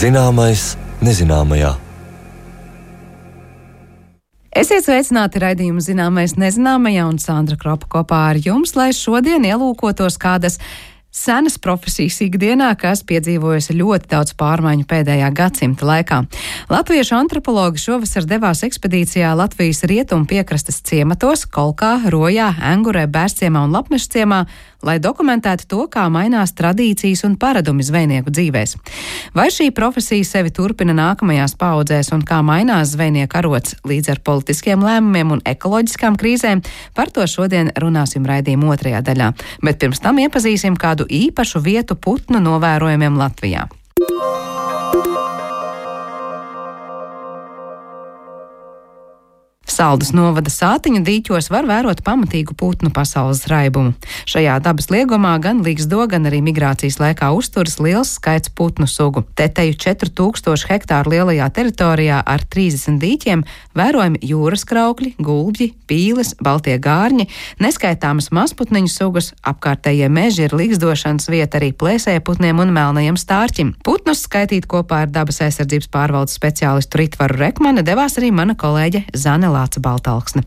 Zināmais nezināmajā. Esiet sveicināti raidījumu Zināmais nezināmajā, un Sandra Kropa kopā ar jums, lai šodien ielūkotos kādas senas profesijas ikdienā, kas piedzīvojusi ļoti daudz pārmaiņu pēdējā gadsimta laikā. Latviešu antropologi šovasar devās ekspedīcijā Latvijas rietumu piekrastes ciematos, Kolkā, Rojā, Engurē, Bērsciemā un Lapmešciemā, lai dokumentētu to, kā mainās tradīcijas un paradumi zvejnieku dzīvēs. Vai šī profesija sevi turpina nākamajās paudzēs un kā mainās zvejnieku arots līdz ar politiskiem lēmumiem un ekoloģiskām krīzēm, par to šodien runāsim raidījuma otrajā daļā. Bet pirms tam iepazīsim kādu īpašu vietu putnu novērojumiem Latvijā. Saldus novada Sātiņu dīķos var vērot pamatīgu putnu pasaules raibumu. Šajā dabas liegumā gan līgzdo, gan arī migrācijas laikā uzturas liels skaits putnu sugu. Teteju 4000 hektāru lielajā teritorijā ar 30 dīķiem vērojami jūras kraukļi, gulbji, pīles, baltie gārņi, neskaitāmas mazputniņu sugas, apkārtējie meži ir līgzdošanas vieta arī plēsējputniem un melnajiem stārķim. Putnus skaitīt kopā ar dabas aizsardzības pārvaldes speciālistu Ritvaru Rekmani devās arī mana kolēģe Zane Baltalksne.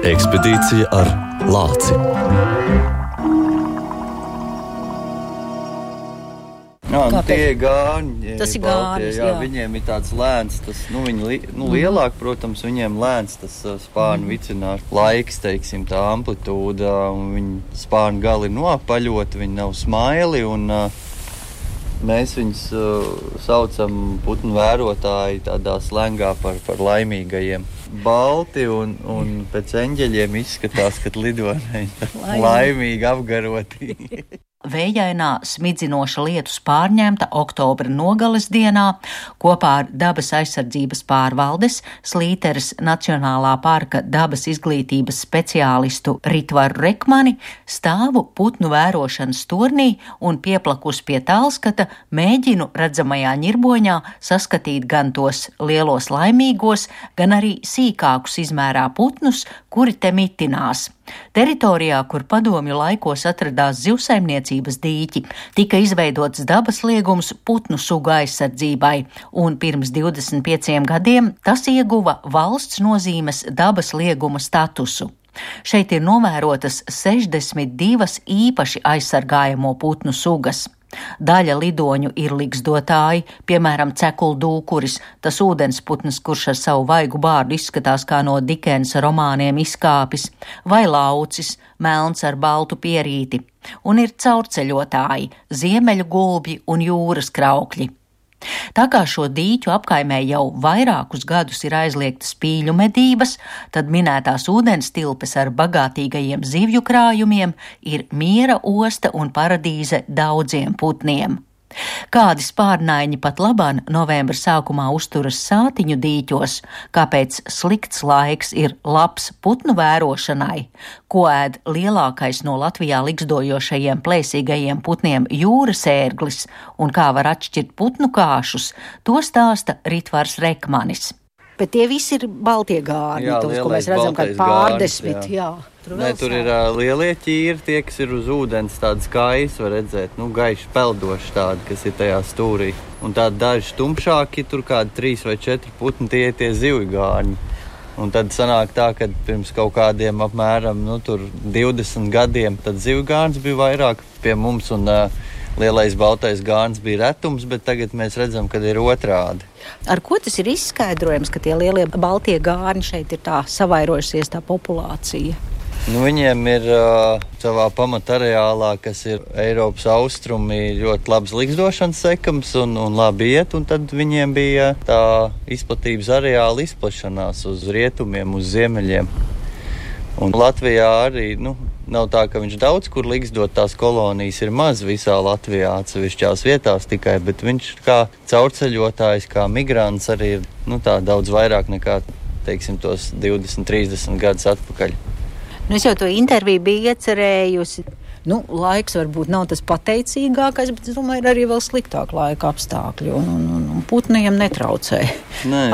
Ekspedīcija ar lāci. Tie gārņi. Tas ir gārņis, jā. Viņiem ir tāds lēns, viņi lielāk, protams, viņiem lēns tas spārnu vicinās laiks, teiksim, tā amplitūda, un viņi spārnu gali ir noapaļoti, viņi nav smaili, un mēs viņus saucam putnu vērotāji tādā slengā par laimīgajiem. Balti un pēc eņģeļiem izskatās, kad lido laimīgi apgaroti. Vējainā, smidzinoša lietus pārņemta oktobra nogales dienā kopā ar dabas aizsardzības pārvaldes Slīteres Nacionālā parka dabas izglītības speciālistu Ritvaru Rekmani stāvu putnu vērošanas turnī un pieplakus pie tālskata mēģinu redzamajā ņirboņā saskatīt gan tos lielos laimīgos, gan arī sīkākus izmērā putnus, kuri te mitinās. Teritorijā, kur padomju laikos atradās zivsaimniecības dīķi, tika izveidots dabas liegums putnu sugu aizsardzībai, un pirms 25 gadiem tas ieguva valsts nozīmes dabas lieguma statusu. Šeit ir novērotas 62 īpaši aizsargājamo putnu sugas. Daļa lidoņu ir ligzdotāji, piemēram, cekuldūkuris, tas ūdensputns, kurš ar savu vaigu bārdu izskatās kā no Dikensa romāniem izkāpis, vai laucis, melns ar baltu pierīti, un ir caurceļotāji, ziemeļu gulbji un jūras kraukļi. Tā kā šo dīķu apkaimē jau vairākus gadus ir aizliegtas pīļu medības, tad minētās ūdens tilpes ar bagātīgajiem zivju krājumiem ir miera osta un paradīze daudziem putniem. Kādi spārnaiņi pat labāk novembra sākumā uzturas Sātiņu dīķos, kāpēc slikts laiks ir labs putnu vērošanai, ko ēd lielākais no Latvijā ligzdojošajiem plēsīgajiem putniem jūras ērglis un kā var atšķirt putnu kāšus, to stāsta Ritvars Rekmanis. Bet tie visi ir baltie gārņi, tos, ko mēs redzam, kā pārdesmit, jā. Tur ir lielie ķīri, tie, kas ir uz ūdens, tādas kājas var redzēt, gaiši peldoši tādi, kas ir tajā stūrī. Un tādi daži tumšāki, tur kādi 3 vai 4 putni, tie zivju gārņi. Un tad sanāk tā, ka pirms kaut kādiem apmēram 20 gadiem, tad zivju gārns bija vairāk pie mums un lielais baltais gārns bija retums, bet tagad mēs redzam, ka ir otrādi. Ar ko tas ir izskaidrojams, ka tie lielie baltie gārni šeit ir tā savairojusies tā populācija? Viņiem ir savā pamatareālā, kas ir Eiropas austrumi, ļoti labs ligzdošanas sekams un labi iet, un tad viņiem bija tā izplatības areāla izplašanās uz rietumiem, uz ziemeļiem. Un Latvijā arī, nav tā, ka viņš daudz kur ligzdot, tās kolonijas ir maz visā Latvijā, atsevišķās vietās tikai, bet viņš kā caurceļotājs, kā migrants arī ir tā daudz vairāk nekā, teiksim, tos 20-30 gadus atpakaļ. Es jau to interviju biju iecerējusi. Laiks varbūt nav tas pateicīgākais, bet es domāju, ir arī vēl sliktāk laika apstākļi, un putniem netraucē.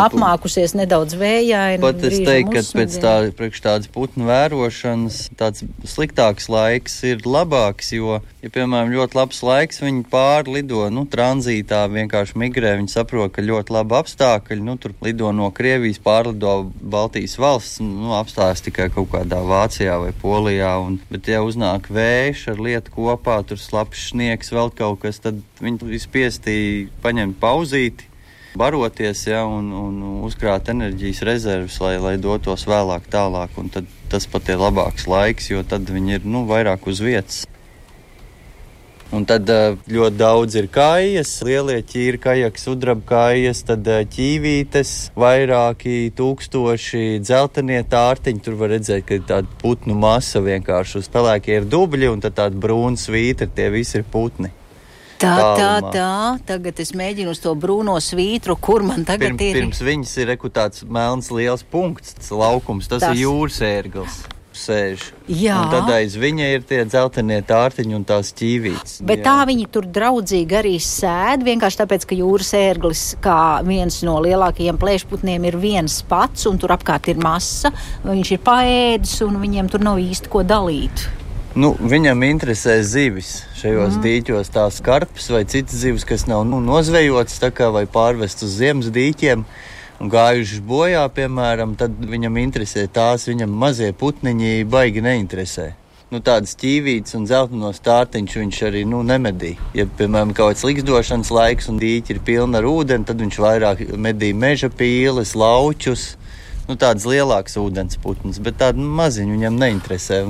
Apmākusies nedaudz vējaini. Pat es teiktu, ka priekš tādas putnu vērošanas tāds sliktāks laiks ir labāks, jo, ja, piemēram, ļoti labs laiks, viņi pārlido, tranzītā vienkārši migrē, viņi saprot, ka ļoti labi apstākļi, tur lido no Krievijas, pārlido Baltijas valsts, apstājas tikai kaut kādā Vācijā vai Polijā, bet ja uznāk vējš ar lietu kopā, tur slapjš sniegs, vēl kaut kas, tad viņi spiestī paņemt pauzīti, baroties, un uzkrāt enerģijas rezervus, lai dotos vēlāk tālāk, un tad tas pat ir labāks laiks, jo tad viņi ir, vairāk uz vietas. Un tad ļoti daudz ir kājas, lielie ķīri, kajaks, sudraba kājas, tad ķīvītes, vairāki tūkstoši dzeltenie tārtiņi. Tur var redzēt, ka ir tāda putnu masa vienkārši uz pelēkie ir dubļi, un tad tāda brūna svītra, tie visi ir putni. Tā. Tagad es mēģinu uz to brūno svītru, kur man tagad ir. Pirms viņas ir tāds melns liels punkts, tas laukums, tas ir jūras ērglis. Sēž. Jā. Un tad aiz viņa ir tie dzeltenie tārtiņi un tās ķīvītes. Bet tā viņi tur draudzīgi arī sēd, vienkārši tāpēc, ka jūras ērglis, kā viens no lielākajiem plēšputniem, ir viens pats, un tur apkārt ir masa, viņš ir paēdis, un viņiem tur nav īsti ko dalīt. Viņam interesē zivis šajos dīķos, tās karpes vai citas zivis, kas nav nozvejotas tā kā vai pārvest uz ziemas dīķiem. Un gājušas bojā, piemēram, tad viņam interesē tās, viņam mazie putniņi baigi neinteresē. Tādas ķīvītes un dzeltenos tārtiņš viņš arī nemedī. Ja, piemēram, kaut kāds liksdošanas laiks un dīķi ir pilna ar ūdeni, tad viņš vairāk medī meža pīles, laučus, tādas lielākas ūdens putnas, bet tādi maziņi viņam neinteresē.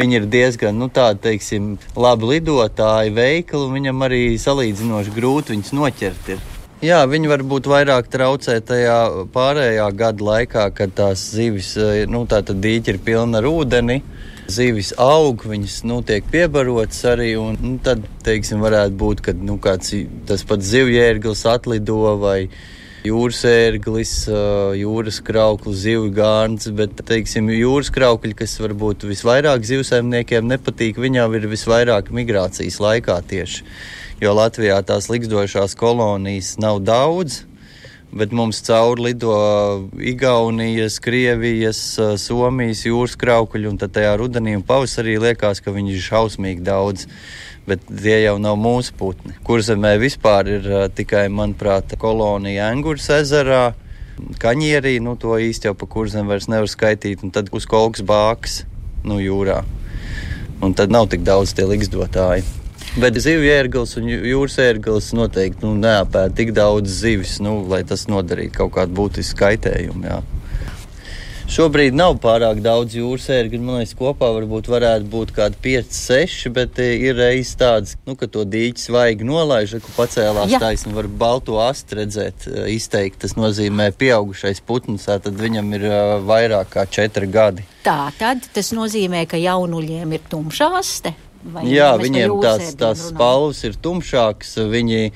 Viņi ir diezgan, teiksim, labi lidotāji, veikli, un viņam arī salīdzinoši grūti viņus noķert ir. Jā, viņi varbūt vairāk traucē tajā pārējā gada laikā, kad tās zivis, tātad dīķi ir pilna ar ūdeni, zivis aug, viņas, tiek piebarotas arī, un tad, teiksim, varētu būt, kad, kāds tas pats zivjērglis atlido vai jūras ērglis, jūras krauklis, zivju gārns, bet, teiksim, jūras kraukļi, kas varbūt visvairāk zivsaimniekiem nepatīk, viņām ir visvairāk migrācijas laikā tieši. Jo Latvijā tās liksdošās kolonijas nav daudz, bet mums cauri lido Igaunijas, Krievijas, Somijas jūras kraukļi, un tad tajā rudenī un pavasarī liekas, ka viņi ir šausmīgi daudz, bet tie jau nav mūsu putni. Kurzemē vispār ir tikai, manuprāt, kolonija Engures ezerā, Kaņierī, to īsti jau pa Kurzem vairs nevar skaitīt, un tad uz Kolkas bākas, jūrā. Un tad nav tik daudz tie liksdotāji. Bet zivju ērglis un jūras ērglis noteikti neapēd tik daudz zivis, lai tas nodarītu kaut kādu būtisku kaitējumu. Jā. Šobrīd nav pārāk daudz jūras ērgļu, man liekas, kopā varētu būt kādi 5-6, bet ir reizes tāds, ka to dīķi svaigi nolaiž, ka pacēlās taisni, var balto asti redzēt izteikt. Tas nozīmē pieaugušais putns, tad viņam ir vairāk kā 4 gadi. Tā, tad tas nozīmē, ka jaunuļiem ir tumša aste? Jā, viņiem tās spalvas ir tumšākas, viņi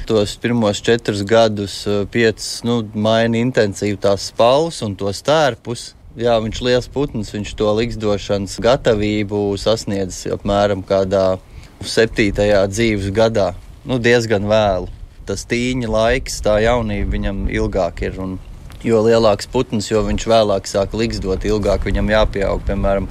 tos pirmos 4 gadus 5 maina intensīvi tās spalvas un tos tērpus. Jā, viņš liels putns, viņš to liksdošanas gatavību sasniedz apmēram kādā 7. dzīves gadā. Diezgan vēlu. Tas tīņa laiks, tā jaunība viņam ilgāk ir un jo lielāks putns, jo viņš vēlāk sāk liksdot, ilgāk viņam jāpieaug. Piemēram,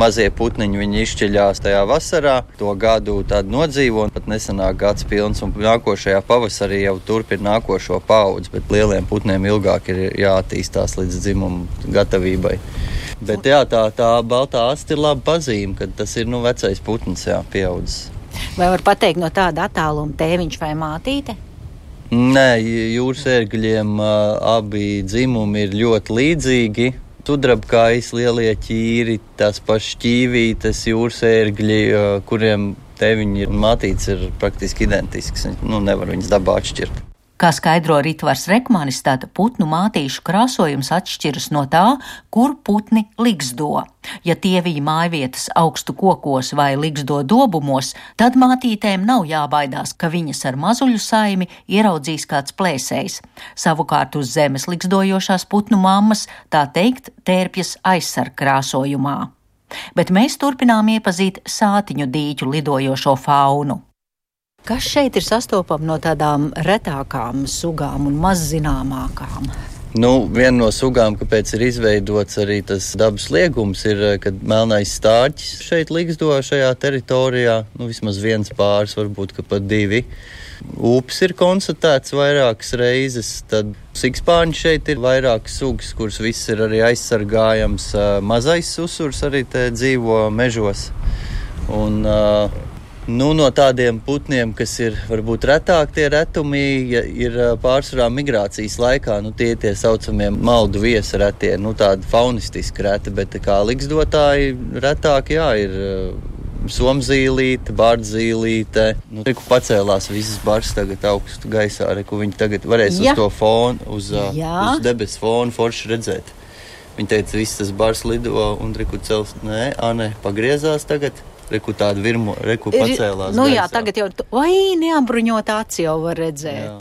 mazie putniņi, viņi izšķiļās tajā vasarā, to gadu tādu nodzīvo, un pat nesanāk gads pilns, un nākošajā pavasarī jau turpina nākošo paudzi, bet lieliem putniem ilgāk ir jāattīstās līdz dzimumu gatavībai. Bet jā, tā baltā asti ir laba pazīme, kad tas ir vecais putns, pieaudzis. Vai var pateikt no tāda attāluma tēviņš vai mātīte? Nē, jūras ērgļiem abi dzimumi ir ļoti līdzīgi. Sudrabkājas, lielie ķīri, tās pašas ķīvītes, jūras ērgļi, kuriem tēviņi un mātītes ir praktiski identisks. Nevar viņas dabā atšķirt. Kā skaidro Ritvars Rekmanis, tad putnu mātīšu krāsojums atšķiras no tā, kur putni liksdo. Ja tieviņi mājvietas augstu kokos vai liksdo dobumos, tad mātītēm nav jābaidās, ka viņas ar mazuļu saimi ieraudzīs kāds plēsējs. Savukārt uz zemes liksdojošās putnu mammas, tā teikt, tērpjas aizsarg krāsojumā. Bet mēs turpinām iepazīt Sātiņu dīķu lidojošo faunu. Kas šeit ir sastopama no tādām retākām sugām un mazzināmākām? Viena no sugām, kāpēc ir izveidots arī tas dabas liegums, ir, kad melnais stārķis šeit ligzdo šajā teritorijā. Vismaz viens pāris, varbūt pat divi. Upes ir konstatēts vairākas reizes, tad sikspārņi šeit ir vairākas sugas, kuras viss ir arī aizsargājams. Mazais susurs arī te dzīvo mežos. Un no tādiem putniem, kas ir varbūt retāk, tie retumi ir pārsvarā migrācijas laikā. Tie saucamie maldu viesa retie, tādi faunistiski reti, bet kā ligzdotāji retāk, ir somzīlīte, bārdzīlīte. Reku pacēlās visas bars tagad augstu gaisā, reku viņi tagad varēs uz to fonu, uz debes fonu forši redzēt. Viņi teica, viss tas bars lido un reku cels, pagriezās tagad. Reku tādu virmu, reku pacēlās gaisā. Tagad jau, neapbruņot aci jau var redzēt. Jā.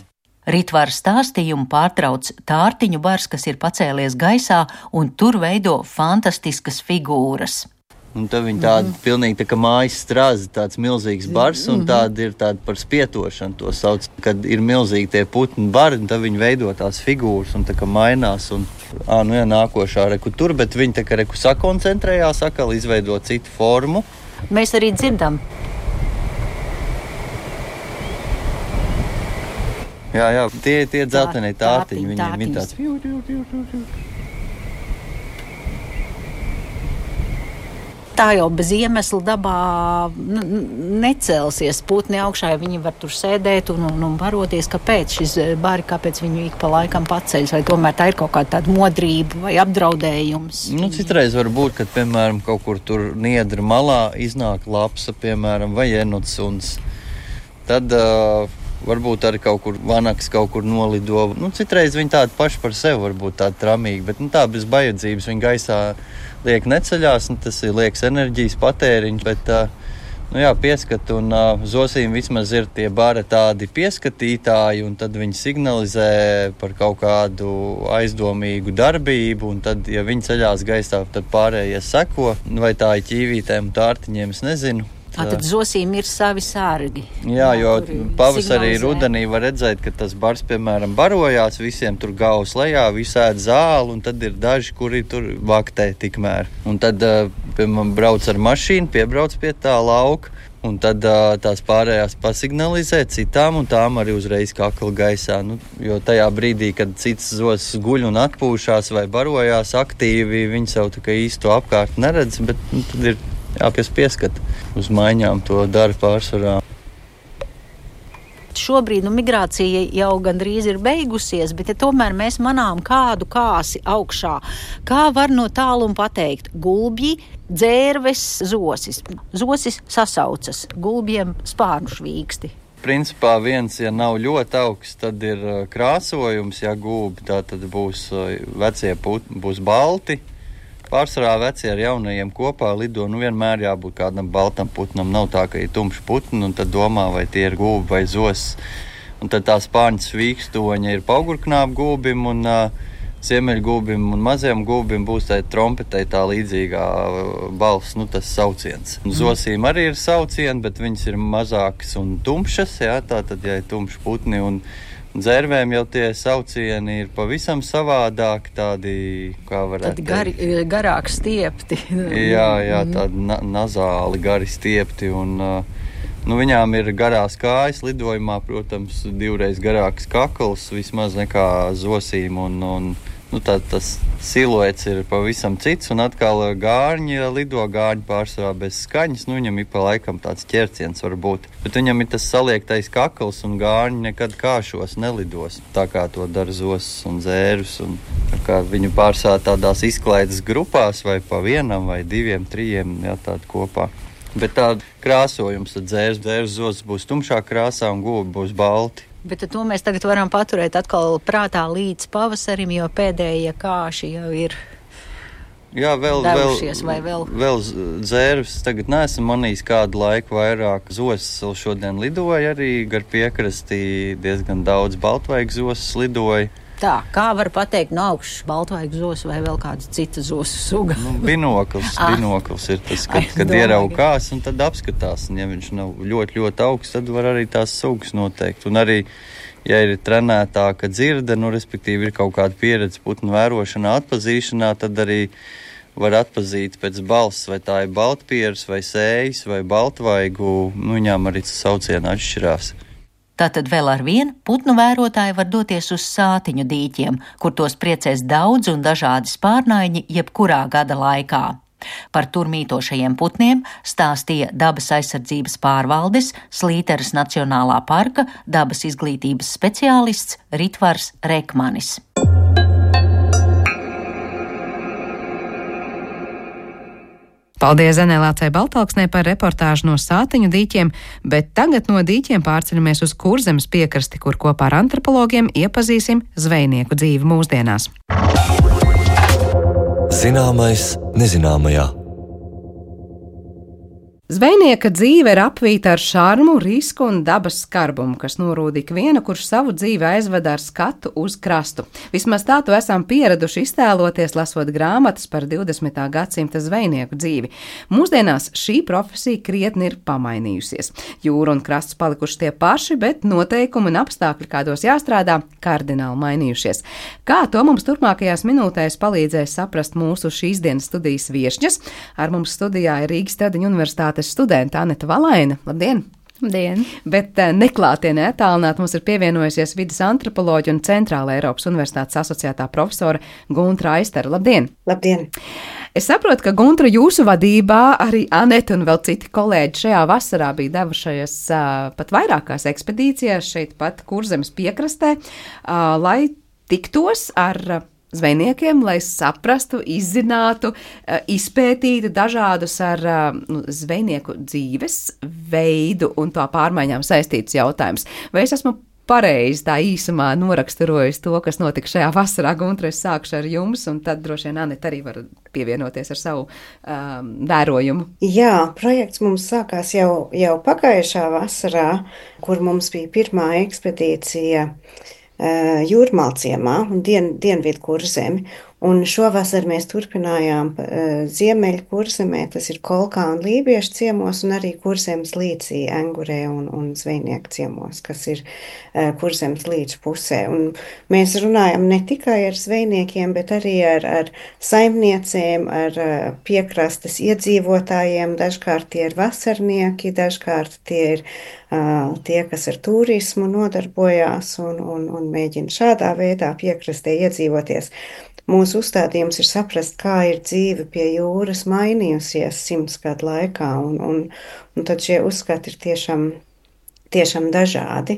Ritvaru stāstījumu pārtrauc tārtiņu bars, kas ir pacēlies gaisā, un tur veido fantastiskas figūras. Un tad viņi tādi pilnīgi tā kā mājas strāzi, tāds milzīgs bars, un tādi ir tādi par spietošanu to sauc. Kad ir milzīgi tie putni bari, un tad viņi veido tās figūras, un tā kā mainās, un nākošā reku tur, bet viņi tā kā reku sakoncentrējās, atkal izveido citu formu. Mēs arī dzirdam. Jā, tie dzeltenie tārtiņi, viņiem ir tāds. Tā jau bez iemesla dabā necelsies putni augšā, ja viņi var tur sēdēt un baroties, kāpēc šis bari, kāpēc viņu ik pa laikam paceļas, vai tomēr tā ir kaut kāda tāda modrība vai apdraudējums. Citreiz var būt, kad, piemēram, kaut kur tur niedra malā iznāk lapsa, piemēram, vai enosuns. Tad varbūt arī kaut kur vanaks kaut kur nolido. Citreiz viņi tādi paši par sevi varbūt tādi tramīgi, bet tā bez bajadzības viņi gaisā liek neceļās, tas ir liekas enerģijas patēriņš, bet pieskat, un zosīm vismaz ir tie bari tādi pieskatītāji, un tad viņi signalizē par kaut kādu aizdomīgu darbību, un tad, ja viņi ceļās gaisā, tad pārējie seko, vai tā ir ķīvītēm un tārtiņiem, es nezinu. Tad zosīm ir savi sārgi. Jā, jo pavasarī rudenī var redzēt, ka tas bars, piemēram, barojās, visiem tur gaus lejā, visi ēd zāli, un tad ir daži, kuri tur vaktē tikmēr. Un tad, piemēram, brauc ar mašīnu, piebrauc pie tā lauka, un tad tās pārējās pasignalizē citām, un tām arī uzreiz kakla gaisā. Jo tajā brīdī, kad cits zos guļ un atpūšās vai barojās aktīvi, viņi savu tā kā īsto apkārt neredz, bet tad ir kas pieskat uz maiņām, to dara pārsvarā. Šobrīd migrācija jau gandrīz ir beigusies, bet tomēr mēs manām kādu kāsi augšā. Kā var no tāluma pateikt? Gulbji, dzērves, zosis. Zosis sasaucas, gulbjiem spārnu švīksti. Principā viens, ja nav ļoti augsts, tad ir krāsojums, ja gulbi, tā tad būs vecie putni, būs balti. Pārsvarā veci ar jaunajiem kopā lido, vienmēr jābūt kādam baltam putnam. Nav tā, ka ir tumšs putni, un tad domā, vai tie ir gulbi vai zos. Un tad tā spārņu svīkstoņa ir paugurknābu gulbim, un ziemeļgulbim un mazajam gulbim būs tā trompetei tā līdzīgā balss, tas sauciens. Zosīm arī ir saucieni, bet viņas ir mazākas un tumšas, tā tad, ja ir tumši putni, un dzērvēm jau tie saucieni ir pavisam savādāk, tādi, kā varētu teikt. Garāk stiepti. Jā, tādi nazāli gari stiepti, un viņām ir garās kājas lidojumā, protams, 2 reizes garāks kakls, vismaz nekā zosīm, un tas siluets ir pavisam cits, un atkal gārņi lido, gārņi pārsvarā bez skaņas, viņam ir pa laikam tāds ķerciens varbūt, bet viņam ir tas saliektais kakls, un gārņi nekad kāšos nelidos, tā kā to dara zosis un dzērus, un kā viņu pārsvarā tādās izklaides grupās, vai pa vienam, vai 2, 3, tādi kopā. Bet tāda krāsojums, tad dzērs zosis būs tumšā krāsā, un gulbi būs balti. Bet to mēs tagad varam paturēt atkal prātā līdz pavasarim, jo pēdējie kāši jau ir devušies, vai vēl? Vēl dzērvis tagad neesam manījis kādu laiku vairāk. Zosis šodien lidoja arī gar piekrastī, diezgan daudz baltvaigu zosis lidoja. Tā, kā var pateikt no augšas baltvaigu zos vai vēl kāda cita zosu suga? Binokls ir tas, kad ieraukās un tad apskatās. Un ja viņš nav ļoti, ļoti augsts, tad var arī tās sugas noteikt. Un arī, ja ir trenētāka dzirde, respektīvi ir kaut kāda pieredze putnu vērošanā, atpazīšanā, tad arī var atpazīt pēc balss, vai tā ir baltpieras, vai sējas, vai baltvaigu. Viņām arī tas sauciena atšķirās. Tātad vēl ar vienu putnu vērotāji var doties uz Sātiņu dīķiem, kur tos priecēs daudz un dažādi spārnaiņi jebkurā gada laikā. Par tur mītošajiem putniem stāstīja Dabas aizsardzības pārvaldes Slīteres Nacionālā parka dabas izglītības speciālists Ritvars Rekmanis. Paldies Zenelācei Baltalksnei par reportāžu no Sātiņu dīķiem, bet tagad no dīķiem pārceļamies uz Kurzemes piekrasti, kur kopā ar antropologiem iepazīsim zvejnieku dzīvi mūsdienās. Zināmais nezināmajā. Zvejnieka dzīve ir apvīta ar šarmu, risku un dabas skarbumu, kas norūda ikvienu, kurš savu dzīvi aizveda ar skatu uz krastu. Vismaz tā to esam pieraduši iztēloties, lasot grāmatas par 20. gadsimta zvejnieku dzīvi. Mūsdienās šī profesija krietni ir pamainījusies. Jūra un krasts palikuši tie paši, bet noteikumi un apstākļi, kādos jāstrādā, kardināli mainījušies. Kā to mums turpmākajās minūtēs palīdzēs saprast mūsu šīs dienas studijas viešņas? Ar mums studijā ir Rīgas Tradiņu universitātes studenta Aneta Valaina. Labdien! Labdien! Bet neklātienē attālināt mums ir pievienojusies vides antropoloģi un Centrāla Eiropas Universitātes asociētā profesora Guntra Aistara. Labdien! Labdien! Es saprotu, ka Guntra jūsu vadībā arī Aneta un vēl citi kolēģi šajā vasarā bija devušies pat vairākās ekspedīcijās šeit pat Kurzemes piekrastē, lai tiktos ar zvejniekiem, lai saprastu, izzinātu, izpētītu dažādus ar zvejnieku dzīves veidu un to pārmaiņām saistītus jautājumus. Vai es esmu pareizi tā īsumā noraksturojis to, kas notika šajā vasarā? Guntra, es sākšu ar jums, un tad droši vien Aneta arī var pievienoties ar savu vērojumu. Jā, projekts mums sākās jau pagājušā vasarā, kur mums bija pirmā ekspedīcija Jūrmalciemā un Dienvidu Kurzemi. Un šovasar mēs turpinājām Ziemeļu Kurzemē, tas ir Kolkā un Lībiešu ciemos, un arī Kurzemes līcī, Engurē un Zvejnieku ciemos, kas ir Kurzemes līča pusē. Un mēs runājam ne tikai ar zvejniekiem, bet arī ar saimniecēm, ar piekrastes iedzīvotājiem. Dažkārt tie ir vasarnieki, dažkārt tie ir tie, kas ar turismu nodarbojās un mēģina šādā veidā piekrastē iedzīvoties. Mūsu uzstādījums ir saprast, kā ir dzīve pie jūras mainījusies 100 gadu laikā, un tad šie uzskati ir tiešām dažādi.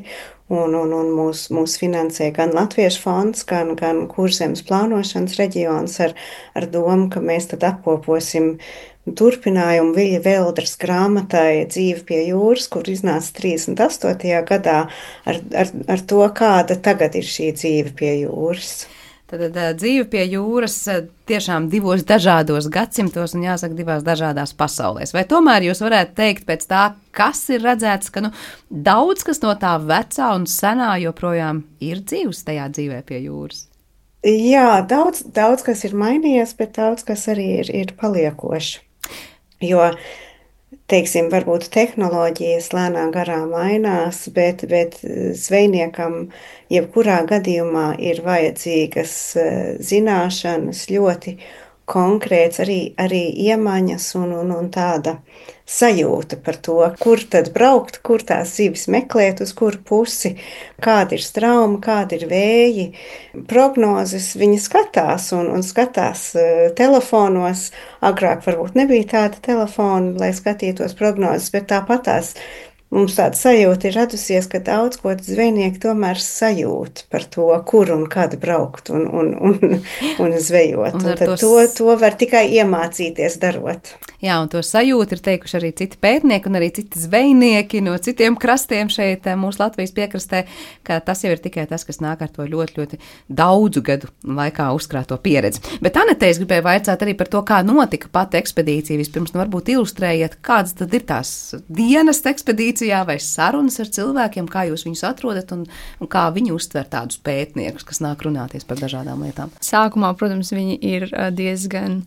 Un mūs finansē gan Latviešu fonds, gan Kurzemes plānošanas reģions ar domu, ka mēs tad apkoposim turpinājumu Viļa Veldras grāmatai Dzīve pie jūras, kur iznāca 38. gadā ar to, kāda tagad ir šī dzīve pie jūras. Tad dzīve pie jūras tiešām divos dažādos gadsimtos un jāsaka divās dažādās pasaulēs. Vai tomēr jūs varētu teikt pēc tā, kas ir redzēts, ka daudz kas no tā vecā un senā joprojām ir dzīves tajā dzīvē pie jūras? Jā, daudz kas ir mainījies, bet daudz kas arī ir paliekoši. Jo, teiksim, varbūt tehnoloģijas lēnā garā mainās, bet zvejniekam jebkurā gadījumā ir vajadzīgas zināšanas, ļoti konkrēts arī iemaņas un tāda sajūta par to, kur tad braukt, kur tās zivis meklēt, uz kuru pusi, kāda ir strauma, kāda ir vēji. Prognozes viņi skatās un skatās telefonos. Agrāk varbūt nebija tāda telefona, lai skatītos prognozes, bet tāpatās mums tāda sajūta ir radusies, ka daudz ko zvejnieki tomēr sajūt par to, kur un kad braukt un zvejot. Un tad to var tikai iemācīties darot. Jā, un to sajūtu ir teikuši arī citi pētnieki un arī citi zvejnieki no citiem krastiem šeit mūsu Latvijas piekrastē, ka tas jau ir tikai tas, kas nāk ar to ļoti, ļoti daudzu gadu laikā uzkrāto pieredzi. Bet Anete, es gribēju vaicāt arī par to, kā notika pati ekspedīcija. Vispirms varbūt ilustrējiet, kādas tad ir tās dienas ekspedīcijas ekspedīcijā vai sarunas ar cilvēkiem, kā jūs viņus atrodat un kā viņi uztver tādus pētniekus, kas nāk runāties par dažādām lietām? Sākumā, protams, viņi ir diezgan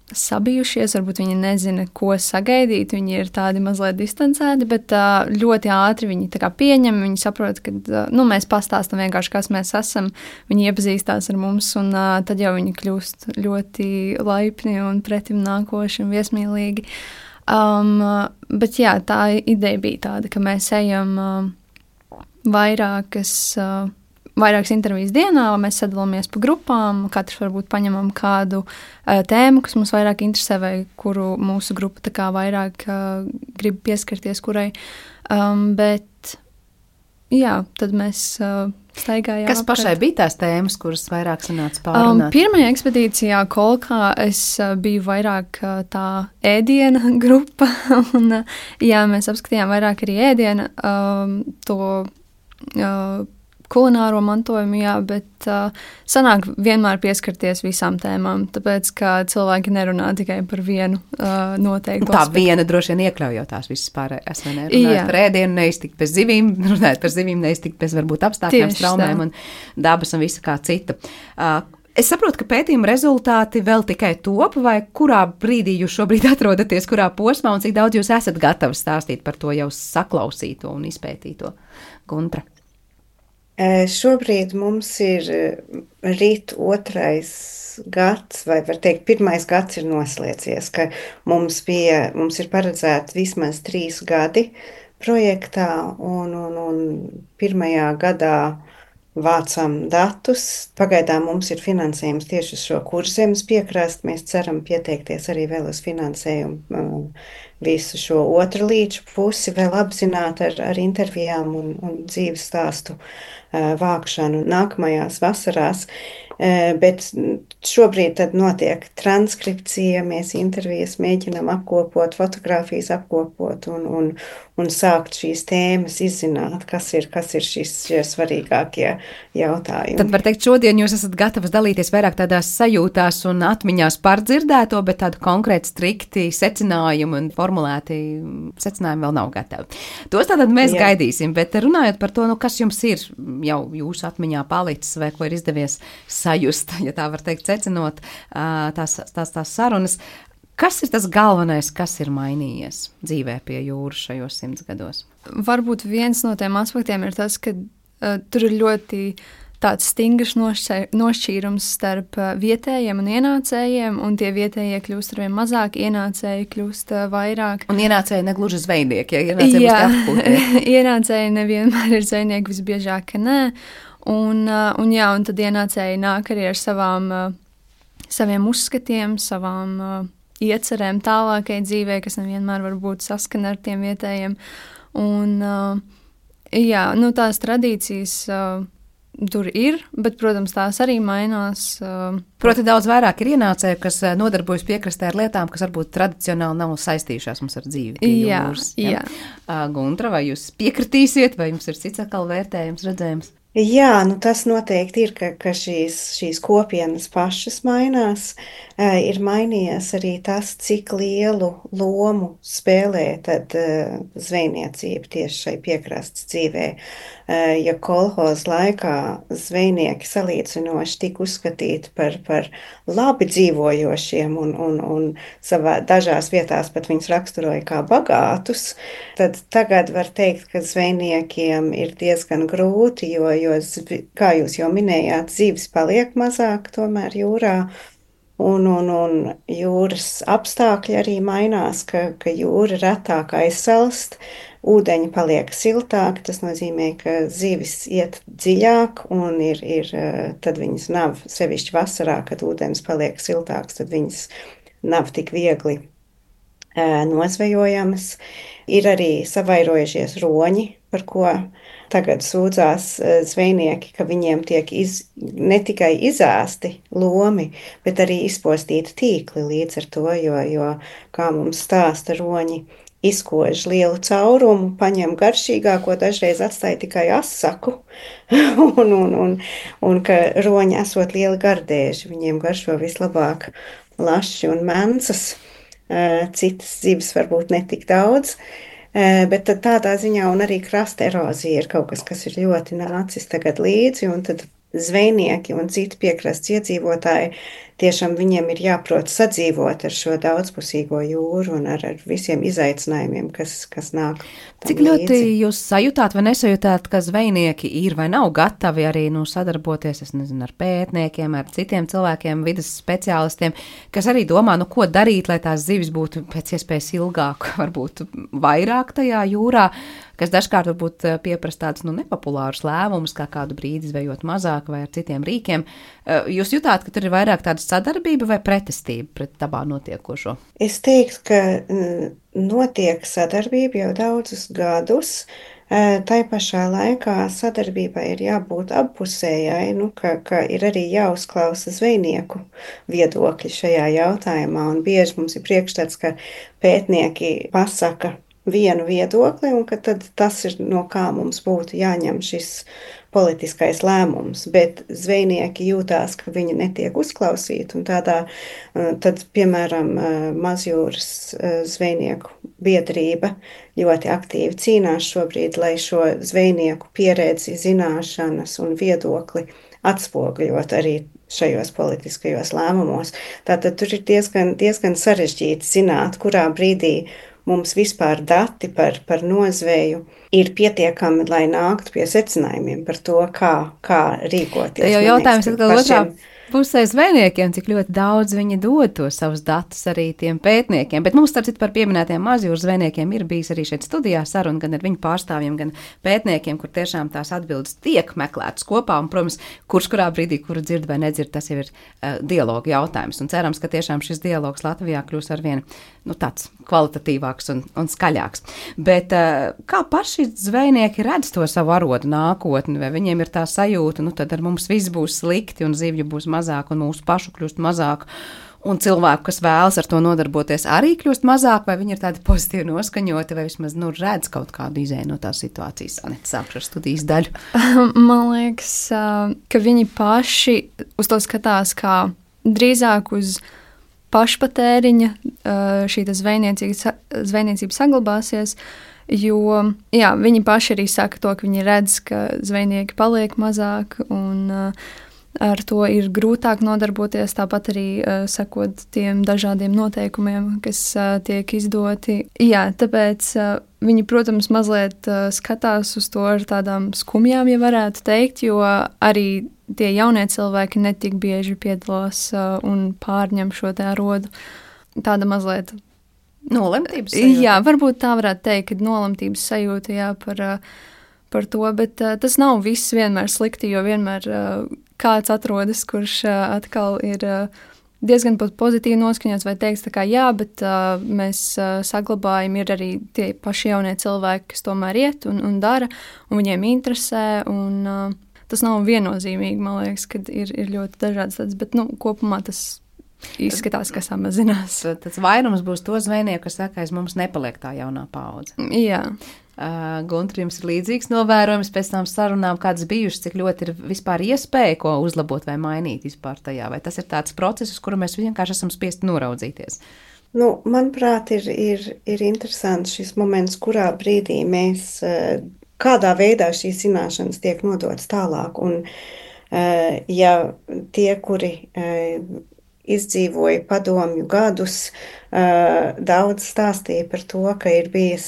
sabijušies, varbūt viņi nezina, ko sagaidīt, viņi ir tādi mazliet distancēti, bet ļoti ātri viņi tā kā pieņem, viņi saprot, ka mēs pastāstam vienkārši, kas mēs esam, viņi iepazīstās ar mums, un tad jau viņi kļūst ļoti laipni un pretim nākoši un viesmīlīgi. Bet jā, tā ideja bija tāda, ka mēs ejam vairākas intervijas dienā, mēs sadalāmies pa grupām, katrs varbūt paņemam kādu tēmu, kas mums vairāk interesē, vai kuru mūsu grupa tā kā vairāk grib pieskarties kurai. Bet, jā, tad mēs staigājām. Kas pašai bija tās tēmas, kuras vairāk sanāca pārunāt? Pirmajā ekspedīcijā Kolkā es biju vairāk tā ēdiena grupa, un jā, mēs apskatījām vairāk arī ēdiena kulināro mantojumu, jā, bet sanāk vienmēr pieskarties visām tēmām, tāpēc, ka cilvēki nerunā tikai par vienu noteiktu Tā aspektu. viena droši vien iekļaujot tās visas pārējās, vai ne? Runājot par ēdienu, neiztikt bez zivīm, runājot par zivīm, neiztikt bez varbūt apstākļiem, traumēm un dabas un visu kā cita. Es saprotu, ka pētījuma rezultāti vēl tikai top, vai kurā brīdī jūs šobrīd atrodaties, kurā posmā un cik daudz jūs esat gatavi stāstīt par to jau saklausīto un izpētīto? Guntra. Šobrīd mums ir rīt 2. gads, vai var teikt, 1. gads ir noslēdzies, ka mums ir paredzēti vismaz 3 gadi projektā, un 1. gadā vācam datus. Pagaidām mums ir finansējums tieši uz šo Kurzemes piekrastu. Mēs ceram pieteikties arī vēl uz finansējumu visu šo otru līču pusi, vēl apzināt ar intervijām un dzīves stāstu vākšanu nākamajās vasarās. Bet šobrīd tad notiek transkripcija, mēs intervijas mēģinām apkopot, fotogrāfijas apkopot un sākt šīs tēmas izzināt, kas ir šie svarīgākie jautājumi. Tad var teikt, šodien jūs esat gatavas dalīties vairāk tādās sajūtās un atmiņās par dzirdēto, bet tādu konkrēti strikti secinājumu un formulēti secinājumi vēl nav gatavi. Tos tātad mēs gaidīsim, bet runājot par to, kas jums ir jau jūsu atmiņā palicis vai ko ir izdevies sajust, ja tā var teikt, secinot tās sarunas. Kas ir tas galvenais, kas ir mainījies dzīvē pie jūras šajos 100 gados? Varbūt viens no tiem aspektiem ir tas, ka tur ir ļoti tāds stingrs nošķīrums starp vietējiem un ienācējiem, un tie vietējie kļūst arvien mazāk, ienācēji kļūst vairāk. Un ienācēji negluži zvejnieki, ja ienācēji būs apkūtē. Ienācēji nevienmēr ir zvejnieki, visbiežāk, ka nē. Un tad ienācēji nāk arī ar saviem uzskatiem, savām iecerēm tālākai dzīvē, kas nevienmēr varbūt saskana ar tiem vietējiem. Un tās tradīcijas tur ir, bet, protams, tās arī mainās. Proti daudz vairāk ir ienācēju, kas nodarbojas piekrastē ar lietām, kas varbūt tradicionāli nav saistījušās mums ar dzīvi pie jūras. Jā. Guntra, vai jūs piekritīsiet, vai jums ir cits atkal vērtējums, redzējums? Jā, tas noteikti ir, ka šīs kopienas pašas mainās. Ir mainījies arī tas, cik lielu lomu spēlē tad zvejniecība tieši šai piekrastes dzīvē. Ja kolhoz laikā zvejnieki salīdzinoši tika uzskatīti par labi dzīvojošiem un savā dažās vietās pat viņus raksturoja kā bagātus, tad tagad var teikt, ka zvejniekiem ir diezgan grūti, jo, kā jūs jau minējāt, zivis paliek mazāk tomēr jūrā, un jūras apstākļi arī mainās, ka jūra retāk aizsalst, ūdeņi paliek siltāki, tas nozīmē, ka zivis iet dziļāk un tad viņas nav, sevišķi vasarā, kad ūdens paliek siltāks, tad viņas nav tik viegli nozvejojamas. Ir arī savairojušies roņi, par ko tagad sūdzās zvejnieki, ka viņiem tiek ne tikai izēsti lomi, bet arī izpostīti tīkli līdz ar to, jo kā mums stāsta roņi, izkož lielu caurumu, paņem garšīgāko, dažreiz atstāja tikai asaku, un ka roņi esot lieli gardēži, viņiem garšo vislabāk laši un mencas, citas zivis varbūt netik daudz, Bet tad tādā ziņā un arī krasta erozija ir kaut kas ir ļoti nācis tagad līdzi, un tad zvejnieki un citi piekrastes iedzīvotāji tiešām viņiem ir jāprot sadzīvot ar šo daudzpusīgo jūru un ar visiem izaicinājumiem, kas nāk. Cik ļoti jūs sajūtāt vai nesajūtāt, ka zvejnieki ir vai nav gatavi arī sadarboties, es nezinu, ar pētniekiem, ar citiem cilvēkiem, vides speciālistiem, kas arī domā, ko darīt, lai tās zivis būtu pēc iespējas ilgāk, varbūt vairāk tajā jūrā, kas dažkārt varbūt pieprasa tādus nepopulārus lēmumus, kā kādu brīdi zvejot mazāk vai ar citiem rīkiem. Jūs jutāt, ka tur ir vairāk tāda sadarbība vai pretestība pret dabā notiekošo? Es teiktu, ka notiek sadarbība jau daudzus gadus. Tai pašā laikā sadarbībai ir jābūt appusējai, ka ir arī jāuzklausa zvejnieku viedokļi šajā jautājumā. Un bieži mums ir priekšstats, ka pētnieki pasaka vienu viedokli, un ka tad tas ir, no kā mums būtu jāņem šis politiskais lēmums, bet zvejnieki jūtās, ka viņi netiek uzklausīti, un tad, piemēram, Mazjūras zvejnieku biedrība ļoti aktīvi cīnās šobrīd, lai šo zvejnieku pieredzi, zināšanas un viedokli atspoguļot arī šajos politiskajos lēmumos. Tātad tur ir diezgan sarežģīti zināt, kurā brīdī mums vispār dati par nozveju ir pietiekami, lai nāktu pie secinājumiem par to, kā rīkoties. Te jau jautājums atkal otrā pusē zvejniekiem, cik ļoti daudz viņi dod tos savus datus arī tiem pētniekiem. Bet mums, starp citu, par pieminētiem Mazjūras zvejniekiem ir bijis arī šeit studijā saruna gan ar viņu pārstāvjiem, gan pētniekiem, kur tiešām tās atbildes tiek meklētas kopā. Un, protams, kurā brīdī, kuru dzird vai nedzird, tas jau ir dialoga jautājums. Un cerams, ka tiešām šis dialogs Latvijā kļūs arvien tāds kvalitatīvāks un skaļāks. Bet kā paši zvejnieki redz to savu arodu nākotni, vai viņiem ir tā sajūta, tad ar mums viss būs slikti un zivju būs mazāk un mūsu pašu kļūst mazāk un cilvēku, kas vēlas ar to nodarboties, arī kļūst mazāk, vai viņi ir tādi pozitīvi noskaņoti, vai vismaz redz kaut kādu izēju no tās situācijas. Aneta, sākšu ar studijas daļu. Man liekas, ka viņi paši uz to skatās kā drīzāk uz pašpatēriņa šī zvejniecība saglabāsies, jo viņi paši arī saka to, ka viņi redz, ka zvejnieki paliek mazāk un ar to ir grūtāk nodarboties, tāpat arī sekot tiem dažādiem noteikumiem, kas tiek izdoti. Jā, tāpēc viņi, protams, mazliet skatās uz to ar tādām skumjām, ja varētu teikt, jo arī tie jaunie cilvēki netik bieži piedalās un pārņem šo te arodu. Tāda mazliet nolemtības sajūta. Jā, varbūt tā varētu teikt, ka nolemtības sajūta par to, bet tas nav viss vienmēr slikti, jo vienmēr kāds atrodas, kurš atkal ir diezgan pat pozitīvi noskaņots vai teiks tā kā jā, bet mēs saglabājam, ir arī tie paši jaunie cilvēki, kas tomēr iet un dara, un viņiem interesē, un tas nav viennozīmīgi, man liekas, kad ir ļoti dažādas tādas, bet kopumā tas izskatās, ka samazinās. Tas vairums būs to zvejnieku, kas saka, aiz mums nepaliek tā jaunā paudze. Jā. Gunter, jums ir līdzīgs novērojums pēc tām sarunām, kādas bijušas, cik ļoti ir vispār iespēja ko uzlabot vai mainīt vispār tajā, vai tas ir tāds process, uz kuru mēs vienkārši esam spiesti noraudzīties? Manuprāt, ir interesants šis moments, kurā brīdī mēs, kādā veidā šīs zināšanas tiek nodotas tālāk, un ja tie, kuri izdzīvoja padomju gadus, daudz stāstīja par to, ka ir bijis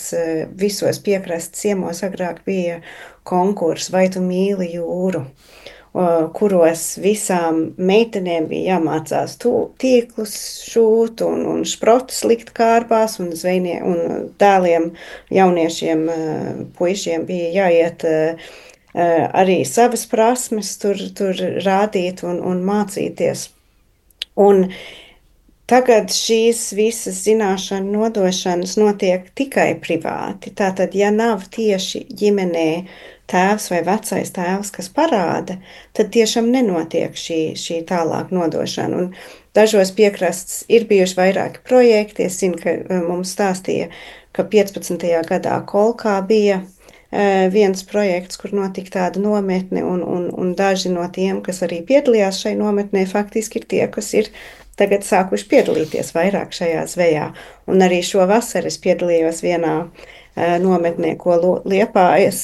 visos piekrastes ciemos agrāk bija konkurss Vai tu mīli jūru, kuros visām meitenēm bija jāmācās tīklus šūt un šprotus likt kārbās, un dēliem, jauniešiem, puišiem bija jāiet arī savas prasmes tur rādīt un mācīties. Un tagad šīs visas zināšanu nodošanas notiek tikai privāti. Tātad, ja nav tieši ģimenē tēvs vai vecais tēvs, kas parāda, tad tiešām nenotiek šī tālāk nodošana. Un dažos piekrastes ir bijuši vairāki projekti. Es zinu, ka mums stāstīja, ka 15. gadā Kolkā bija viens projekts, kur notika tāda nometne, un daži no tiem, kas arī piedalījās šai nometnē, faktiski ir tie, kas ir tagad sākuši piedalīties vairāk šajā zvejā. Un arī šo vasaru es piedalījos vienā nometnē, ko Liepājas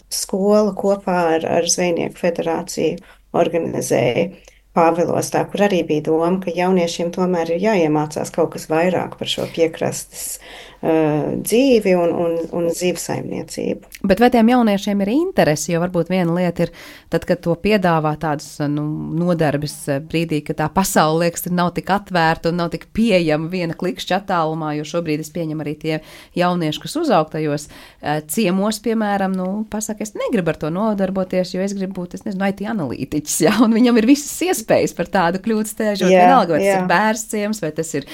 skola kopā ar Zvejnieku federāciju organizēja Pāvilostā, kur arī bija doma, ka jauniešiem tomēr ir jāiemācās kaut kas vairāk par šo piekrastes dzīvi un zivsaimniecību. Bet vai tiem jauniešiem ir interesi, jo varbūt viena lieta ir, tad, kad to piedāvā tādas nodarbes brīdī, ka tā pasaule, liekas, nav tik atvērta un nav tik pieejama viena klikšķa attālumā, jo šobrīd es pieņemu arī tie jaunieši, kas uzaugtajos ciemos, piemēram, pasaka, es negribu ar to nodarboties, jo es gribu būt, IT analītiķis, ja, un viņam ir visas iespējas par tādu kļūt stēžot, vienalga, vai tas ir bērns ciems, vai tas ir,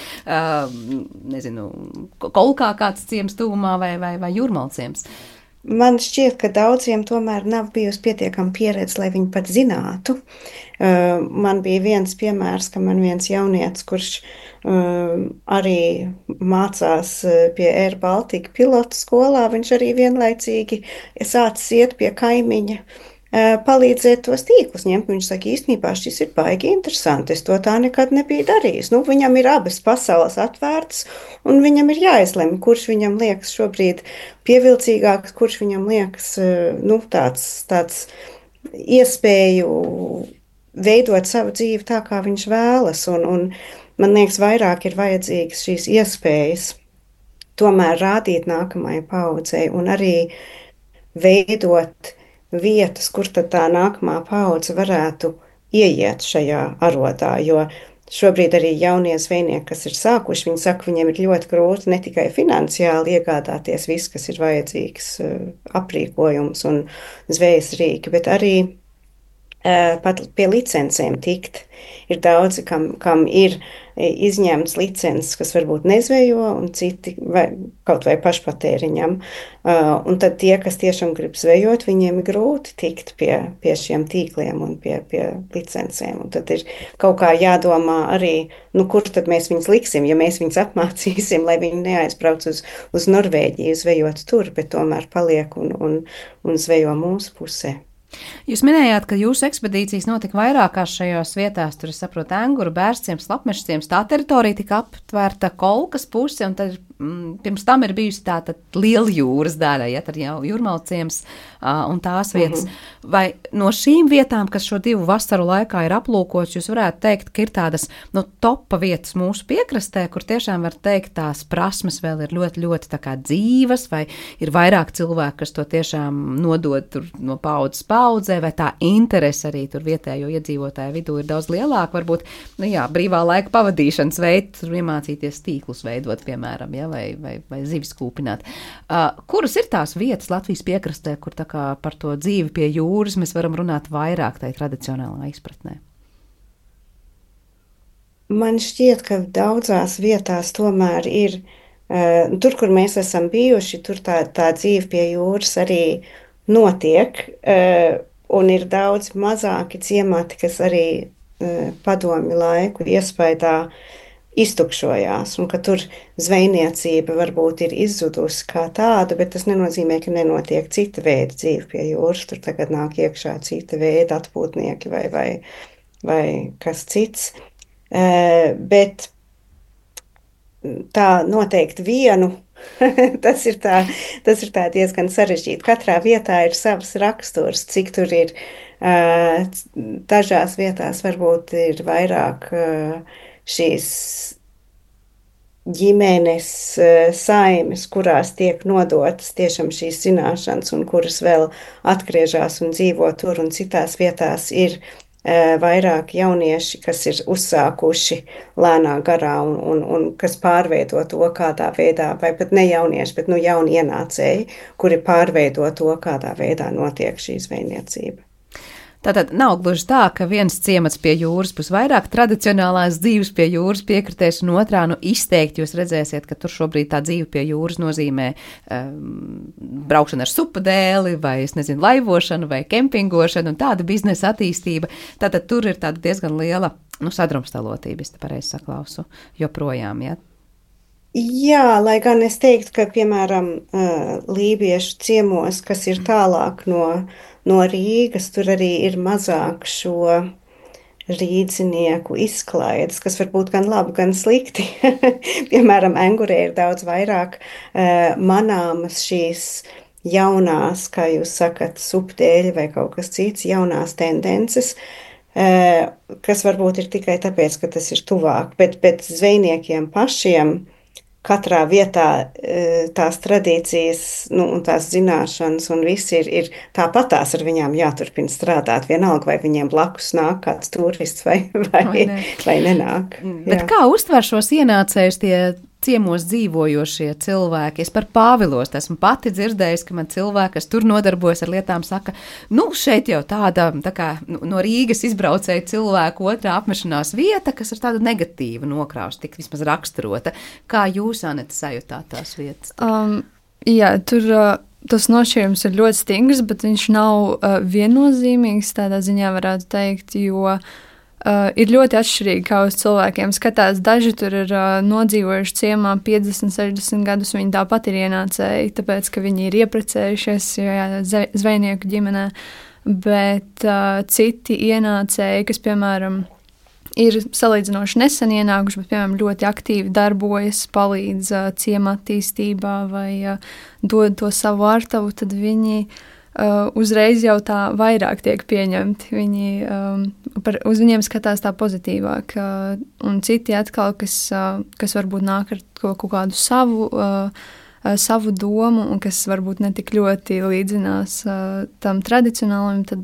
Kolkā kāds ciems tuvumā vai Jūrmalciems. Man šķiet, ka daudziem tomēr nav bijusi pietiekama pieredze, lai viņi pat zinātu. Man bija viens piemērs, ka man viens jaunietis, kurš arī mācās pie Air Baltica pilotu skolā, viņš arī vienlaicīgi sācis iet pie kaimiņa, palīdzēt tos tīklus ņemt. Viņš saka, īstenībā šis ir baigi interesanti, es to tā nekad nebiju darījis. Viņam ir abas pasaules atvērtas, un viņam ir jāizlemj, kurš viņam liekas šobrīd pievilcīgāks, kurš viņam liekas tāds iespēju veidot savu dzīvi tā, kā viņš vēlas, un man liekas, vairāk ir vajadzīgas šīs iespējas tomēr rādīt nākamajai paaudzei un arī veidot vietas, kur tad tā nākamā paudze varētu ieiet šajā arodā, jo šobrīd arī jaunie zvejnieki, kas ir sākuši, viņi saka, viņiem ir ļoti grūti ne tikai finansiāli iegādāties viss, kas ir vajadzīgs, aprīkojums un zvejas rīki, bet arī pat pie licencēm tikt. Ir daudzi, kam ir izņemts licences, kas varbūt nezvejo, un citi kaut vai pašpatēriņam. Un tad tie, kas tiešām grib zvejot, viņiem ir grūti tikt pie šiem tīkliem un pie licencēm. Un tad ir kaut kā jādomā arī, kur tad mēs viņus liksim, ja mēs viņus apmācīsim, lai viņi neaizbrauc uz Norvēģiju zvejot tur, bet tomēr paliek un zvejo mūsu pusē. Jūs minējāt, ka jūsu ekspedīcijas notika vairākās šajās vietās, tur es saprotu Enguru, Bērstciems, Lapmešciems, tā teritorija tika aptvērta Kolkas puse, un tad pirms tam ir bijusi tāda liela jūras daļa, ja tad jau Jūrmalciems un tās vietas. Vai no šīm vietām, kas šo 2 vasaru laikā ir aplūkots, jūs varētu teikt, ka ir tādas topa vietas mūsu piekrastē, kur tiešām var teikt, tās prasmes vēl ir ļoti, ļoti tā kā dzīvas, vai ir vairāk cilvēku, kas to tiešām nodod tur no paudzes paudzē, vai tā interese arī tur vietējo iedzīvotāju vidū ir daudz lielāka, varbūt, brīvā laika pavadīšanas veids, tur iemācīties tīklus veidot, piemēram, ja, vai zivis kūpināt. Kuras ir tās vietas Latvijas piekrastē, kur tā kā par to dzīvi pie jūras mēs varam runāt vairāk tai tradicionālā izpratnē? Man šķiet, ka daudzās vietās tomēr ir, tur, kur mēs esam bijuši, tur tā dzīve pie jūras arī notiek, un ir daudz mazāki ciemati, kas arī padomju laiku iespaidā iztukšojās, un ka tur zvejniecība varbūt ir izzudusi kā tāda, bet tas nenozīmē, ka nenotiek cita veida dzīve pie jūras, tur tagad nāk iekšā cita veida atpūtnieki vai kas cits, bet tā noteikti vienu, tas ir tā diezgan sarežģīti. Katrā vietā ir savs raksturs, cik tur ir, dažās vietās varbūt ir vairāk šīs ģimenes saimes, kurās tiek nodotas tiešām šīs zināšanas un kuras vēl atgriežas un dzīvo tur, un citās vietās ir vairāk jaunieši, kas ir uzsākuši lēnā garā un kas pārveido to kādā veidā, vai pat ne jaunieši, bet jauni ienācēji, kuri pārveido to, kādā veidā notiek šī zvejniecība. Tātad nav gluži tā, ka viens ciemats pie jūras būs vairāk tradicionālās dzīves pie jūras piekritēs, un otrā izteikti jūs redzēsiet, ka tur šobrīd tā dzīve pie jūras nozīmē braukšana ar supadēli, vai, laivošanu, vai kempingošanu, un tāda biznesa attīstība. Tātad tur ir tāda diezgan liela, sadrumstalotība, es te pareizi saklausu, joprojām, ja? Jā, lai gan es teiktu, ka, piemēram, lībiešu ciemos, kas ir tālāk no Rīgas, tur arī ir mazāk šo rīdzinieku izklaides, kas var būt gan labi, gan slikti. Piemēram, Engurē ir daudz vairāk manāmas šīs jaunās, kā jūs sakat, subtēļi vai kaut kas cits, jaunās tendences, kas varbūt ir tikai tāpēc, ka tas ir tuvāk, bet zvejniekiem pašiem katrā vietā tās tradīcijas, un tās zināšanas un viss ir tāpatās ar viņām jāturpina strādāt, vienalga vai viņiem blakus nāk kāds turists vai nenāk. Bet kā uztver šos ienācējus tie ciemos dzīvojošie cilvēki? Es par Pāvilos esmu pati dzirdējusi, ka man cilvēki, kas tur nodarbojas ar lietām, saka, šeit jau tāda tā kā no Rīgas izbraucēja cilvēku otrā apmešanās vieta, kas ir tāda negatīva nokrāsta, tik vismaz raksturota. Kā jūs, Anete, sajūtāt tās vietas? Jā, tur tas nošķīrums ir ļoti stingrs, bet viņš nav viennozīmīgs, tādā ziņā varētu teikt, jo ir ļoti atšķirīgi, kā uz cilvēkiem skatās. Daži tur ir nodzīvojuši ciemā 50, 60 gadus, viņi tāpat ir ienācēji, tāpēc, ka viņi ir ieprecējušies zvejnieku ģimenē, bet citi ienācēji, kas, piemēram, ir salīdzinoši nesen ienākuši, bet, piemēram, ļoti aktīvi darbojas, palīdz ciema attīstībā vai dod to savu ārtavu, tad viņi uzreiz jau tā vairāk tiek pieņemti. Uz viņiem skatās tā pozitīvāk. Un citi atkal, kas varbūt nāk ar kaut kādu savu domu un kas varbūt netik ļoti līdzinās tam tradicionālam, tad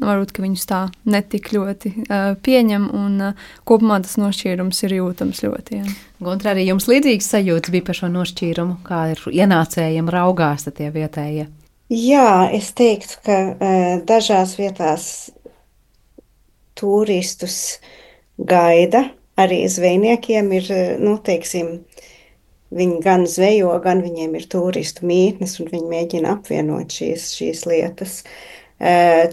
varbūt, ka viņus tā netik ļoti pieņem un kopumā tas nošķīrums ir jūtams ļoti. Jā. Guntra, arī jums līdzīgs sajūtas bija par šo nošķīrumu, kā ir ienācējiem raugās tie vietējie? Jā, es teiktu, ka dažās vietās turistus gaida, arī zvejniekiem ir, teiksim, viņi gan zvejo, gan viņiem ir turistu mītnes, un viņi mēģina apvienot šīs lietas.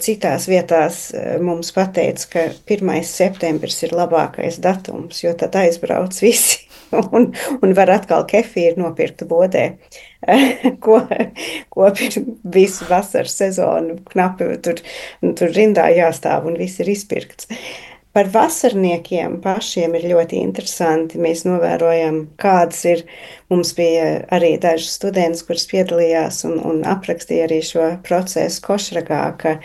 Citās vietās mums pateica, ka 1. septembris ir labākais datums, jo tad aizbrauc visi un var atkal kefīru nopirkt bodē, ko visu vasaras sezonu knapi tur rindā jāstāv un viss ir izpirkts. Par vasarniekiem pašiem ir ļoti interesanti. Mēs novērojam, kādas ir. Mums bija arī daži studenti, kuras piedalījās un aprakstīja arī šo procesu Košragā, ka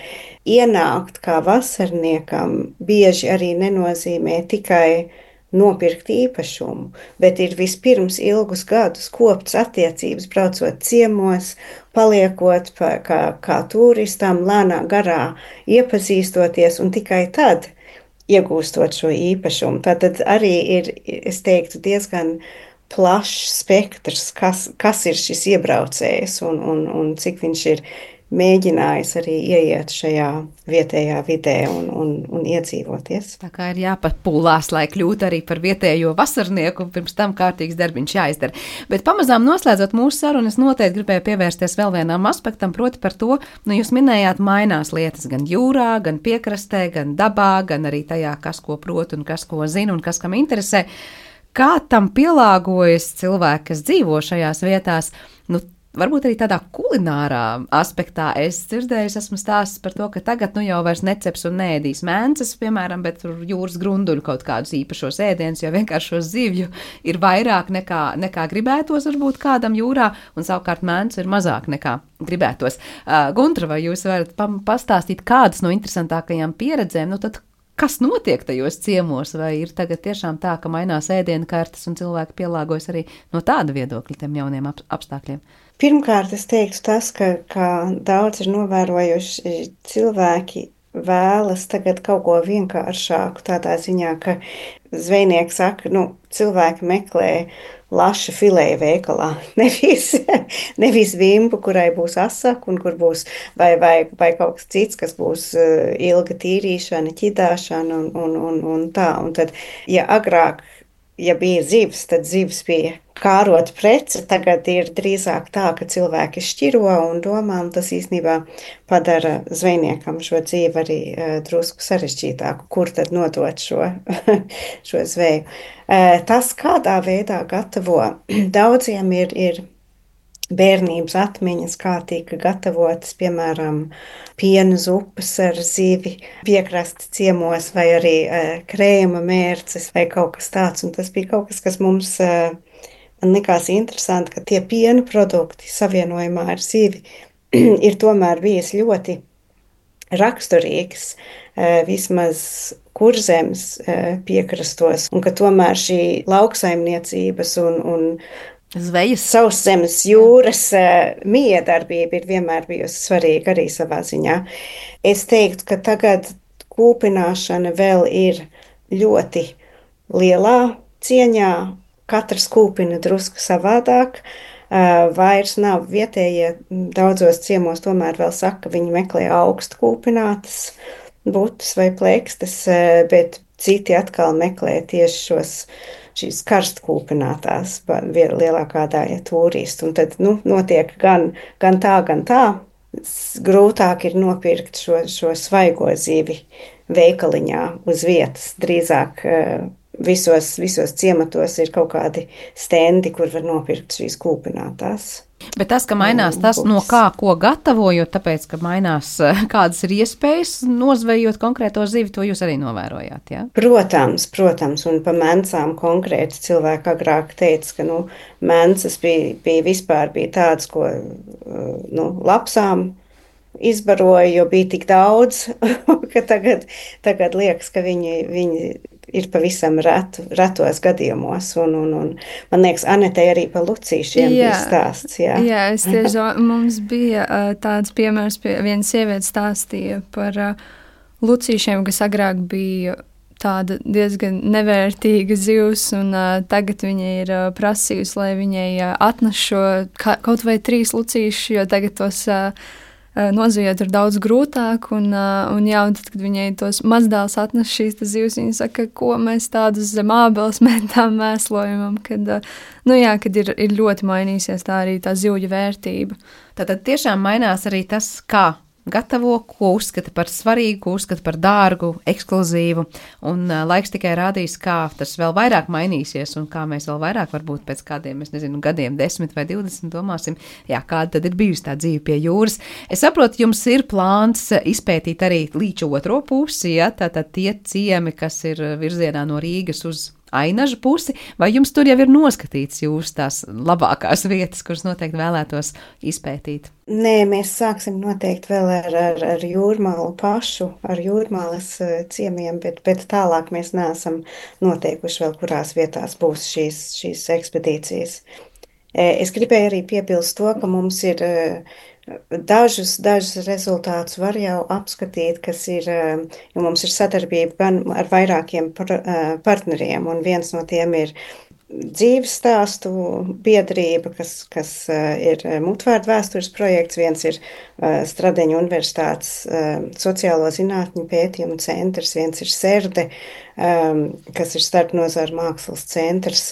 ienākt kā vasarniekam bieži arī nenozīmē tikai nopirkt īpašumu, bet ir vispirms ilgus gadus kopts attiecības, braucot ciemos, paliekot kā turistam, lēnā garā iepazīstoties un tikai tad iegūstot šo īpašumu. Tātad arī ir, es teiktu, diezgan plašs spektrs, kas ir šis iebraucējs un cik viņš ir mēģinājis arī ieiet šajā vietējā vidē un iedzīvoties. Tā kā ir jāpapūlās, lai kļūtu arī par vietējo vasarnieku, pirms tam kārtīgs darbiņš jāizdara. Bet pamazām noslēdzot mūsu sarunu, es noteikti gribēju pievērsties vēl vienam aspektam, proti par to, jūs minējāt, mainās lietas gan jūrā, gan piekrastē, gan dabā, gan arī tajā, kas ko prot un kas ko zina un kas kam interesē. Kā tam pielāgojas cilvēki, kas dzīvo šajās vietās? Varbūt arī tādā kulinārā aspektā es dzirdēju, esmu stāstis par to, ka tagad jau vairs neceps un neēdīs mēnces, piemēram, bet tur jūras grunduļu kaut kādus īpašos ēdienus, jo vienkārši šo zivju ir vairāk nekā gribētos varbūt kādam jūrā, un savukārt mēnces ir mazāk nekā gribētos. Guntra, vai jūs varat pastāstīt kādas no interesantākajām pieredzēm? Tad kas notiek tajos ciemos, vai ir tagad tiešām tā, ka mainās ēdienu kartes un cilvēki pielāgojas arī no tāda viedokļa tiem jauniem apstākļiem? Pirmkārt, es teiktu tas, ka daudz ir novērojuši cilvēki vēlas tagad kaut ko vienkāršāku tādā ziņā, ka zvejnieki saka, cilvēki meklē laša filēja veikalā, nevis vimbu, kurai būs asaka un kur būs vai kaut kas cits, kas būs ilga tīrīšana, ķidāšana un tā. Un tad, ja agrāk, ja bija zivs, tad zivs bija kārot prece, tagad ir drīzāk tā, ka cilvēki šķiro un domā, un tas īstenībā padara zvejniekam šo dzīvi arī drusku sarežģītāku, kur tad nodot šo zveju. Tas, kādā veidā gatavo, daudziem ir bērnības atmiņas, kā tika gatavotas, piemēram, piena zupas ar zivi piekrastes ciemos, vai arī krējuma mērces, vai kaut kas tāds. Un tas bija kaut kas, kas mums man likās interesanti, ka tie piena produkti savienojumā ar zivi ir tomēr bijis ļoti raksturīgs, vismaz Kurzemes piekrastos, un ka tomēr šī lauksaimniecības un Zvejas. Sauszemes jūras miedarbība ir vienmēr bijusi svarīga arī savā ziņā. Es teiktu, ka tagad kūpināšana vēl ir ļoti lielā cieņā. Katrs kūpina drusku savādāk. Vairs nav vietējie, daudzos ciemos tomēr vēl saka, ka viņi meklē augstu kūpinātas butas vai plēkstes, bet citi atkal meklē tieši šīs karstkūpinātās lielākā daļa turistu. Un tad notiek gan tā. Grūtāk ir nopirkt šo svaigo zivi veikaliņā uz vietas. Drīzāk visos ciematos ir kaut kādi stendi, kur var nopirkt šīs kūpinātās. Bet tas, ka mainās tas, no kā ko gatavojot, tāpēc, ka mainās kādas ir iespējas nozvejot konkrēto zivi, to jūs arī novērojāt, jā? Protams, un pa mencām konkrēti cilvēki agrāk teica, ka, mencas bija tādas, ko, lapsām izbaroja, jo bija tik daudz, ka tagad liekas, ka viņi ir pavisam retos gadījumos, un man liekas, Anetei arī par lucīšiem bija stāsts. Jā, es tieši, mums bija tāds piemērs, viena sieviete stāstīja par lucīšiem, kas agrāk bija tāda diezgan nevērtīga zivs, un tagad viņa ir prasījusi, lai viņai atnes šo kaut vai 3 lucīšus, jo tagad tos nozvejot ir daudz grūtāk, un tad, kad viņai tos mazdēls atnes šīs zivs, viņa saka, ko mēs tādus zem ābeles metām mēslojumam, kad ir ļoti mainīsies tā arī tā zivju vērtība. Tātad tiešām mainās arī tas, kā gatavo, ko uzskata par svarīgu, ko uzskata par dārgu, ekskluzīvu, un laiks tikai rādīs, kā tas vēl vairāk mainīsies, un kā mēs vēl vairāk varbūt pēc kādiem, gadiem, 10 vai 20 domāsim, kāda tad ir bijusi tā dzīve pie jūras. Es saprotu, jums ir plāns izpētīt arī līča otro pusi, tātad tie ciemi, kas ir virzienā no Rīgas uz Ainažu pusi, vai jums tur jau ir noskatīts jūs tās labākās vietas, kuras noteikti vēlētos izpētīt? Nē, mēs sāksim noteikti vēl ar Jūrmālu pašu, ar Jūrmālas ciemiem, bet tālāk mēs neesam noteikuši vēl, kurās vietās būs šīs ekspedīcijas. Es gribēju arī piebilst to, ka mums ir dažus rezultātus var jau apskatīt, kas ir, jo mums ir sadarbība gan ar vairākiem partneriem, un viens no tiem ir dzīves stāstu biedrība, kas ir Mutvārdu vēstures projekts, viens ir Stradeņu universitātes sociālo zinātņu pētījumu centrs, viens ir Serde, kas ir starpnozaru mākslas centrs,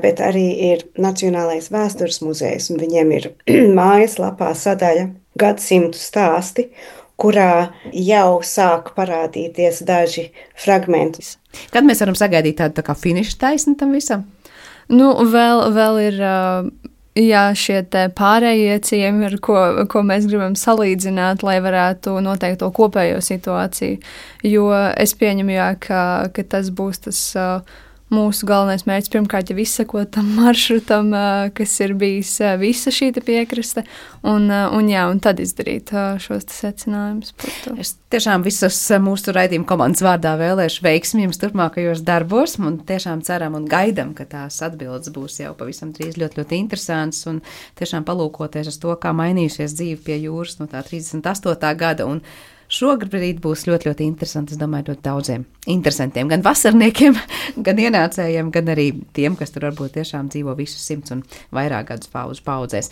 bet arī ir Nacionālais vēstures muzejs, un viņiem ir mājaslapā sadaļa gadsimtu stāsti, kurā jau sāk parādīties daži fragmenti. Kad mēs varam sagaidīt tādu tā kā finiša taisni tam visam? Vēl ir šie te pārējie ciemi, ar ko mēs gribam salīdzināt, lai varētu noteikt to kopējo situāciju. Jo es pieņemu, ka tas būs tas mūsu galvenais mērķis. Pirmkārt, jau izsekot tam maršrutam, kas ir bijis visa šī piekraste, un tad izdarīt šos secinājumus par to. Es tiešām visas mūsu raidījuma komandas vārdā vēlēšu veiksmi jums turpmākajos darbos, un tiešām ceram un gaidam, ka tās atbildes būs jau pavisam drīz ļoti, ļoti interesants, un tiešām palūkoties uz to, kā mainījusies dzīve pie jūras no tā 38. gada, un šobrīd būs ļoti, ļoti interesanti, es domāju, ļoti daudziem interesantiem, gan vasarniekiem, gan ienācējiem, gan arī tiem, kas tur varbūt tiešām dzīvo visus 100 un vairāk gadus paudzēs.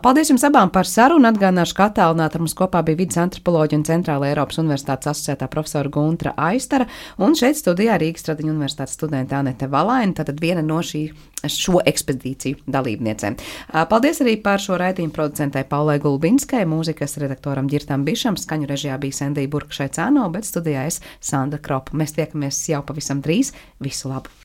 Paldies jums abām par sarunu, atgādināšu, ka attālināti ar mums kopā bija vides antropoloģija un Centrāla Eiropas Universitātes asociētā profesora Guntra Aistara, un šeit studijā Rīgas Stradeņu universitātes studente Anete Valaina, tātad viena no šo ekspedīciju dalībniecēm. Paldies arī par šo raidījumu producentei Paulai Gulbinskai, mūzikas redaktoram Ģirtam Bišam, skaņu režijā bija Sendija Burkšai Cāno, bet studijā es Sandra Kropa. Mēs tiekamies jau pavisam drīz. Visu labu!